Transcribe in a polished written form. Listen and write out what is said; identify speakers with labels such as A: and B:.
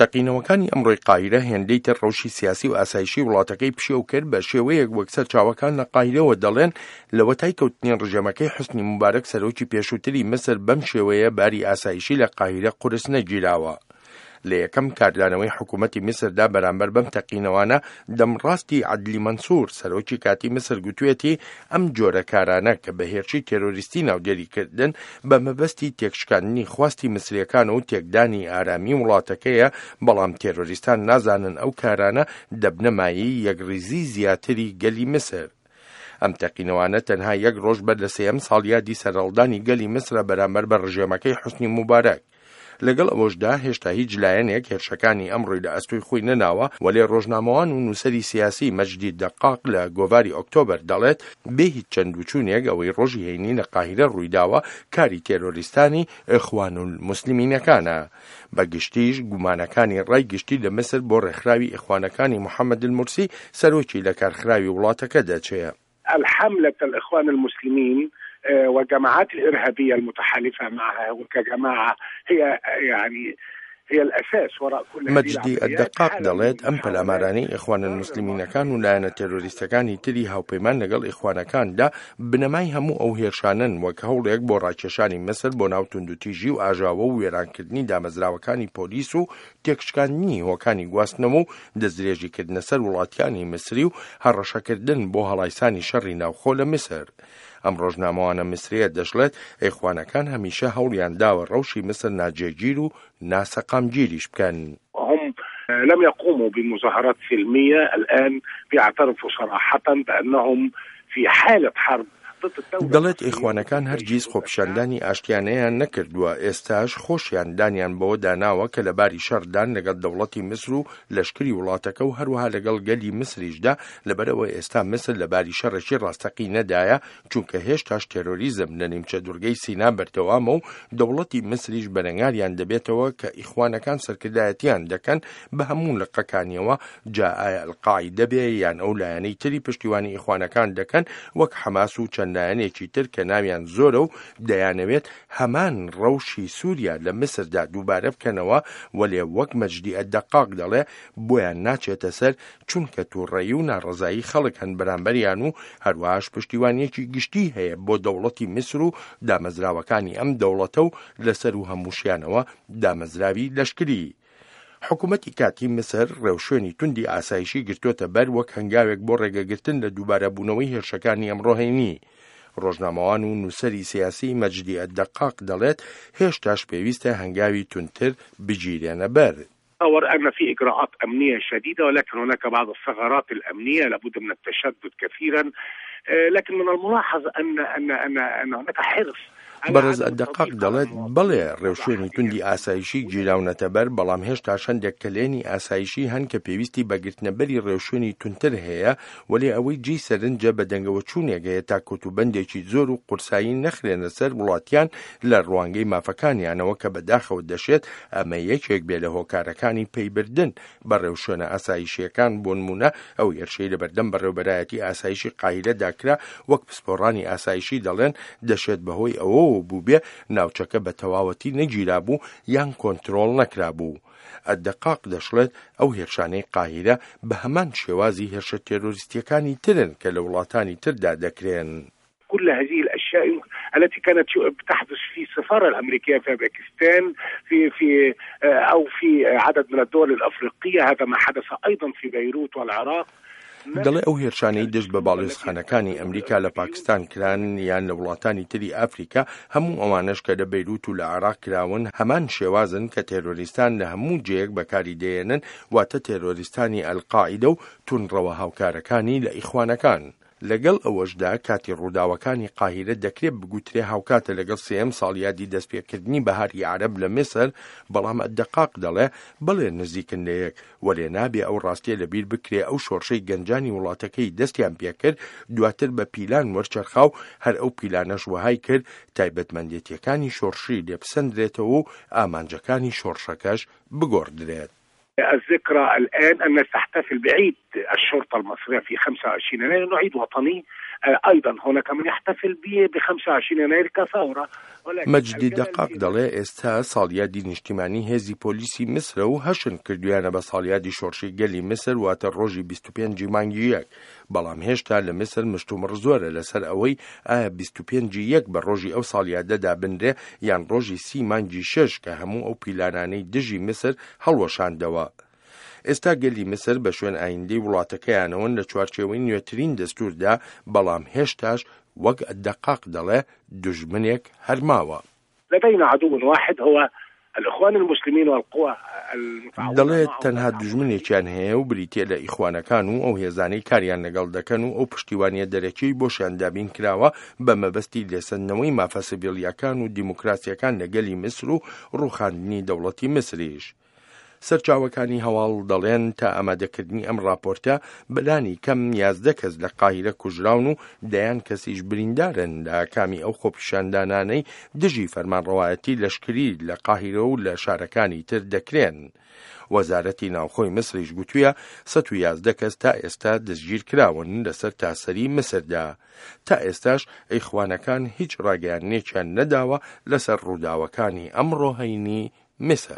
A: تەقینەوەکانی ئەمڕۆی قاهیرە هێندەی تر ڕەوشی سیاسی و ئاسایشی وڵاتەکەی پشێو کرد بە شێوەیەک وەک سەرچاوەکان لە قاهیرەوە دەڵێن لەوەتای کەوتنی ڕژێمەکەی حوسنی موبارەک سەرۆکی پێشووتری میسر بەم شێوەیە باری ئاسایشی لە قاهیرە قورس نەگیراوە. لە یەکەم کاردانەوەی حکوومەتی میسردا بەرامبەر بەم تەقینەوانە دەمڕاستی عەدلی مەنسوور سەرۆکی کاتی میسر گوتوێتی ئەم جۆرە کارانە کە بە هێرشی تێرۆریستی ناودێری کردن بە مەبەستی تێکشکاندنی خواستی میسرییەکان و تێکدانی ئارامی وڵاتەکەیە، بەڵام تێرۆریستان نازانن ئەو کارانە دەبنە مایەی یەکڕیزی زیاتری گەلی میسر. ئەم تەقینەوانە تەنها یەک ڕۆژ بەر لە سێیەم ساڵیادی سەرهەڵدانی گەلی میسرە بەرامبەر بە ڕژێمەکەی حوسنی موبارەک. لەگەڵ ئەوەشدا هێشتا هیچ لایەنێک هێرشەکانی ئەمڕۆی لە ئەستۆی خۆی نەناوە، وەلێ ڕۆژنامەوان و نووسەری سیاسی مەجدی دەقاق لە گۆڤاری ئۆکتۆبەر دەڵێت، بێ هیچ چەندوچوونێک ئەوەی ڕۆژی هەینی لە قاهیرە ڕوویداوە کاری تێرۆریستانی ئیخوانولموسلمینەکانە. بە گشتیش گومانەکانی ڕای گشتی لە میسر بۆ ڕێکخراوی ئیخوانەکانی محەمەد المورسی سەرۆکی لەکارخراوی وڵاتەکە دەچێ.
B: الحملة الإخوان المسلمين والجماعات الإرهابية المتحالفة معها وكجماعة هي يعني هي الأساس وراء كل
A: مەجدی الدقاق دەڵێت، ئەم پەلامارانەی ئیخوانالموسلمینەکان و لایەنە تێرۆریستەکانی تری هاوپەیمان لەگەڵ ئیخوانەکاندا بنەمای هەموو ئەو هێرشانەن وەک هەوڵێک بۆ ڕاکێشانی میسر بۆ ناو توندوتیژی و ئاژاوە و وێرانکردنی دامەزراوەکانی پۆلیس و تێکشکاندنی هۆکانی گواستنەوە و دەستدرێژیکردنە سەر وڵاتیانی میسری و هەڕەشەکردن بۆ هەڵایسانی شەڕی ناوخۆ لە میسر. ئەم ڕۆژنامەوانە میسرییە دەشڵێت، ئیخوانەکان هەمیشە هەوڵیان داوە ڕەوشی میسر ناجێگیر و ناسەقامگیریش بکەن.
B: هم لم يقوموا بمظاهرات سلمية الآن بيعترفوا صراحة بأنهم في حالة حرب
A: دەڵێت ئیخوانەکان هەرگیز خۆپیشاندانی ئاشتیانەیان نەکردووە، ئێستاش خۆشیان دانیان بەوەدا ناوە کە لە باری شەڕدان لەگەڵ دەوڵەتی میسر و لەشکری وڵاتەکە و هەروەها لەگەڵ گەلی میسریشدا، لەبەرئەوە ئێستا میسر لە باری شەڕێکی ڕاستەقینەدایە، چونکە هێشتاش تێرۆریزم لە نیمچە دورگەی سینا بەردەوامە و دەوڵەتی میسریش بەرەنگاریان دەبێتەوە کە ئیخوانەکان سەرکردایەتیان دەکەن بە هەموو لقەکانیەوە، جا ئایا القاعیدە بێ یان ئەو لایەنەی تری پشتیوانی ئیخوانەکان دەکەن وەک حەماس و چەند لایەنێکی تر کە ناویان زۆرە و دەیانەوێت هەمان ڕەوشی سوریا لە میسردا دووبارە بکەنەوە، وەلێ وەک مەجدی ئەلدەقاق دەڵێ بۆیان ناچێتە سەر چونکە توڕەیی و ناڕەزایی خەڵک هەن بەرامبەریان و هەروەهاش پشتیوانیەکی گشتی هەیە بۆ دەوڵەتی میسر و دامەزراوەکانی ئەم دەوڵەتە و لەسەروو هەمووشیانەوە دامەزراوی لەشکری. حکومەتی کاتی میسر ڕێوشوێنی توندی ئاسایشی گرتووەتە بەر وەک هەنگاوێک بۆ ڕێگەگرتن لە دووبارەبوونەوەی هێرشەکانی ئەمڕۆ هەینی. ڕۆژنامەوان و نووسەری سیاسی مەجدی ئەلدەقاق دەڵێت، هێشتاش پێویستە هەنگاوی توندتر بگیرێنە بەر.
B: تصور أن في إجراءات أمنية شديدة ولكن هناك بعض الثغرات الأمنية لابد من التشدد كثيرا لكن من الملاحظ أن أن أن أن هناك حرص
A: بەڕێز ئەلدەقاق دەڵێت، بەڵێ ڕێوشوێنی توندی ئاسایشی گیراونەتە بەر، بەڵام هێشتاش هەندێک کەلێنی ئاسایشی هەن کە پێویستی بە گرتنەبەری ڕێوشوێنی توندتر هەیە، وەلێ ئەوەی جێی سەرنجە بەدەنگەوەچوونێک هەیە تا کۆتوبەندێکی زۆر و قورسایی نەخرێنە سەر وڵاتیان لە ڕوانگەی مافەکانیانەوە کە بەداخەوە دەشێت ئەمە یەکێک بێ لە هۆکارەکانی پەیبردن بە ڕێوشوێنە ئاسایشییەکان، بۆنموونە ئەو هێرشەی لەبەردەم بەڕێوبەرایەتی ئاسایشی قاهیرەدا کرا وەک پسپۆڕانی ئاسایشی دەڵێن دەشێت بەهۆی ئەوەوە بووبێ ناوچەکە بە تەواوەتی نەگیرابوو یان کۆنترۆڵ نەکرابوو. ئەلدەقاق دەشڵێت ئەو هێرشانەی قاهیرە بە هەمان شێوازی هێرشە تێرۆریستییەکانی ترن کە لە وڵاتانی تردا دەکرێن.
B: كل هذه الأشياء التي كانت تحدث في السفارة الأمريكية في باكستان في في أو في عدد من الدول الأفريقية هذا ما حدث أيضا في بيروت والعراق
A: دەڵێ ئەو هێرشانەی دژ بە باڵیۆزخانەکانی ئەمریکا لە پاکستان کران یان لە وڵاتانی تری ئەفریکا، هەموو ئەوانەش کە لە بەیروت و لە عێراق کراون هەمان شێوازن کە تێرۆریستان لە هەموو جێیەک بەکاری دەیەنن، واتە تێرۆریستانی ئەلقاعیدە و توندڕەوە هاوکارەکانی لە ئیخوانەکان. لەگەڵ ئەوەشدا کاتی ڕووداوەکانی قاهیرە دەکرێ بگوترێ هاوکاتە لەگەڵ سێیەم ساڵیادی دەستپێکردنی بەهاری عەرەب لە میسر، بەڵام ئەلدەقاق دەڵێ بەڵێ نزیکن لەیەک، وەلێ نابێ ئەو ڕاستیە لەبیر بکرێ ئەو شۆڕشەی گەنجانی وڵاتەکەی دەستیان پێکرد دواتر بە پیلان وەرچەرخا و هەر ئەو پیلانەش وەهای کرد تایبەتمەندێتیەکانی شۆڕشی لێبسەندرێتەوە و ئامانجەکانی شۆڕشەکەش بگۆڕدرێت.
B: الذكرى الآن أن نحتفل بعيد الشرطة المصرية في 25 يناير لأنه عيد وطني. أيضا هناك من يحتفل ب 25 يناير كثورة.
A: مەجدی دەقاق دەڵێ ئێستا ساڵیادی نیشتیمانی هێزی پۆلیسی میسرە و هەشن کردویانە بە ساڵیادی شۆڕشی گەلی میسر، واتە ڕۆژی 25 ی مانگی یەک، بەڵام هێشتا لە میسر مشتومڕ زۆرە لەسەر ئەوەی ئایا 25 ی یەک بە ڕۆژی ئەو ساڵیادە دابنرێ یان ڕۆژی 30 مانگی شەش کە هەموو ئەو پیلانانەی دژی میسر هەڵوەشاندەوە. ئێستا گەلی میسر بە شوێن ئایندەی وڵاتەکەیانەوەن لە چوارچێوەی نوێترین دەستووردا، بەڵام هێشتاش وەک دەقاق دەڵێ دوژمنێک هەر ماوە.
B: لدينا عدو واحد هو الإخوان المسلمين والقوى المتعاونة
A: دەڵێت تەنها دوژمنێکیان هەیە و بریتییە لە ئیخوانەکان و ئەو هێزانەی کاریان لەگەڵ دەکەن و ئەو پشتیوانییە دەرەکیەی بۆشیان دابین کراوە بە مەبەستی لێسەندنەوەی مافە سڤیلییەکان و دیموکراسییەکان لە گەلی میسر و ڕووخاندنی دەوڵەتی میسریش. سەرچاوەکانی هەواڵ دەڵێن تا ئامادەکردنی ئەم ڕاپۆرتە بەلانی کەم 11 کەس لە قاهیرە کوژراون و دەیان کەسیش بریندارن لە ئاکامی ئەو خۆپیشاندانانەی دژی فەرمانڕەوایەتی لەشکری لە قاهیرە و لە شارەکانی تر دەکرێن. وەزارەتی ناوخۆی میسریش گوتویە 111 کەس تا ئێستا دەستگیرکراون لەسەر تاسەری میسردا. تا ئێستاش ئیخوانەکان هیچ ڕاگەیاندنێکیان نەداوە لەسەر ڕووداوەکانی ئەمڕۆ هەینی میسر.